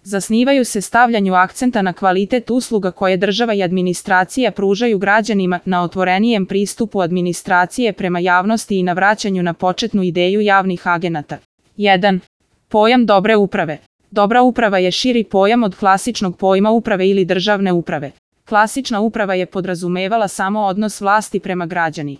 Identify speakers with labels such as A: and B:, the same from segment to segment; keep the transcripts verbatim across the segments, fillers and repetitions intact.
A: Zasnivaju se stavljanju akcenta na kvalitet usluga koje država i administracija pružaju građanima, na otvorenijem pristupu administracije prema javnosti i na vraćanju na početnu ideju javnih agenata. jedan. Pojam dobre uprave. Dobra uprava je širi pojam od klasičnog pojma uprave ili državne uprave. Klasična uprava je podrazumevala samo odnos vlasti prema građani.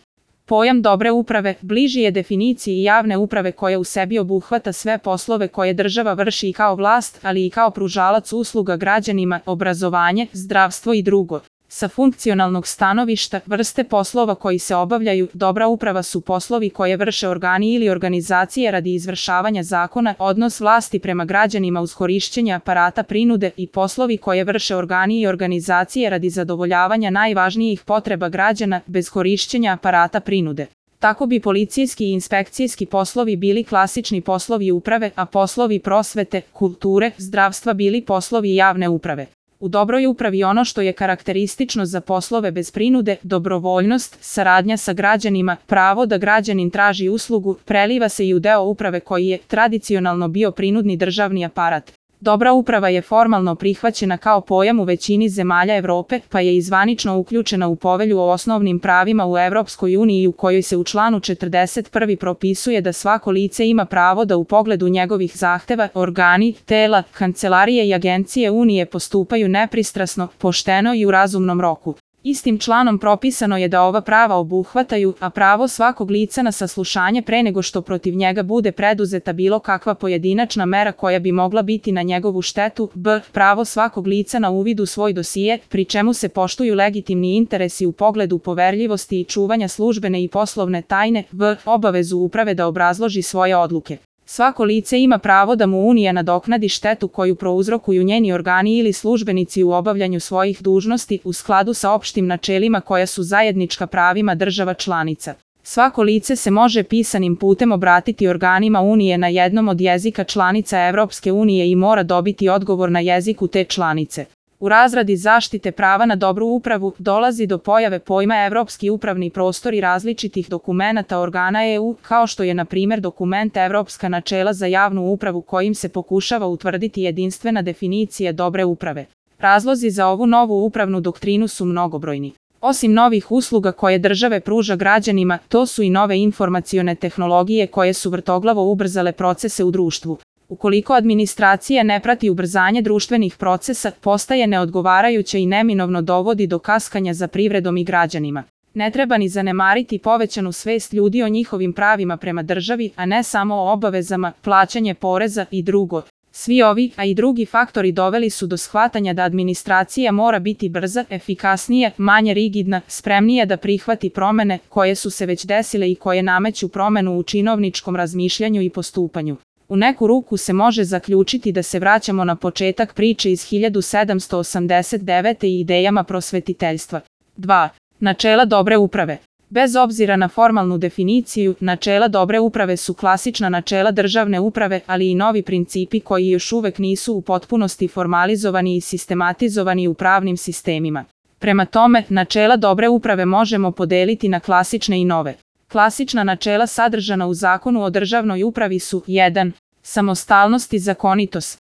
A: Pojam dobre uprave bliži je definiciji javne uprave koja u sebi obuhvata sve poslove koje država vrši i kao vlast, ali i kao pružalac usluga građanima, obrazovanje, zdravstvo i drugo. Sa funkcionalnog stanovišta, vrste poslova koji se obavljaju, dobra uprava su poslovi koje vrše organi ili organizacije radi izvršavanja zakona, odnos vlasti prema građanima uz korišćenje aparata prinude i poslovi koje vrše organi i organizacije radi zadovoljavanja najvažnijih potreba građana bez korišćenja aparata prinude. Tako bi policijski i inspekcijski poslovi bili klasični poslovi uprave, a poslovi prosvete, kulture, zdravstva bili poslovi javne uprave. U dobroj upravi ono što je karakteristično za poslove bez prinude, dobrovoljnost, saradnja sa građanima, pravo da građanin traži uslugu, preliva se i u deo uprave koji je tradicionalno bio prinudni državni aparat. Dobra uprava je formalno prihvaćena kao pojam u većini zemalja Evrope, pa je i zvanično uključena u Povelju o osnovnim pravima u Evropskoj uniji u kojoj se u članu četrdeset prvi propisuje da svako lice ima pravo da u pogledu njegovih zahteva, organi, tela, kancelarije i agencije Unije postupaju nepristrasno, pošteno i u razumnom roku. Istim članom propisano je da ova prava obuhvataju, a pravo svakog lica na saslušanje pre nego što protiv njega bude preduzeta bilo kakva pojedinačna mera koja bi mogla biti na njegovu štetu, b. pravo svakog lica na uvid u svoj dosije, pri čemu se poštuju legitimni interesi u pogledu poverljivosti i čuvanja službene i poslovne tajne, v. obavezu uprave da obrazloži svoje odluke. Svako lice ima pravo da mu Unija nadoknadi štetu koju prouzrokuju njeni organi ili službenici u obavljanju svojih dužnosti u skladu sa opštim načelima koja su zajednička pravima država članica. Svako lice se može pisanim putem obratiti organima Unije na jednom od jezika članica Evropske unije i mora dobiti odgovor na jeziku te članice. U razradi zaštite prava na dobru upravu dolazi do pojave pojma Evropski upravni prostor i različitih dokumenata organa E U, kao što je na primjer dokument Evropska načela za javnu upravu kojim se pokušava utvrditi jedinstvena definicija dobre uprave. Razlozi za ovu novu upravnu doktrinu su mnogobrojni. Osim novih usluga koje države pruža građanima, to su i nove informacione tehnologije koje su vrtoglavo ubrzale procese u društvu. Ukoliko administracija ne prati ubrzanje društvenih procesa, postaje neodgovarajuća i neminovno dovodi do kaskanja za privredom i građanima. Ne treba ni zanemariti povećanu svest ljudi o njihovim pravima prema državi, a ne samo o obavezama, plaćanje poreza i drugo. Svi ovi, a i drugi faktori doveli su do shvatanja da administracija mora biti brza, efikasnija, manje rigidna, spremnija da prihvati promene koje su se već desile i koje nameću promenu u činovničkom razmišljanju i postupanju. U neku ruku se može zaključiti da se vraćamo na početak priče iz hiljadu sedamsto osamdeset devete i idejama prosvetiteljstva. dva. Načela dobre uprave. Bez obzira na formalnu definiciju, načela dobre uprave su klasična načela državne uprave, ali i novi principi koji još uvek nisu u potpunosti formalizovani i sistematizovani u pravnim sistemima. Prema tome, načela dobre uprave možemo podeliti na klasične i nove. Klasična načela sadržana u Zakonu o državnoj upravi su jedan. Samostalnost i zakonitost.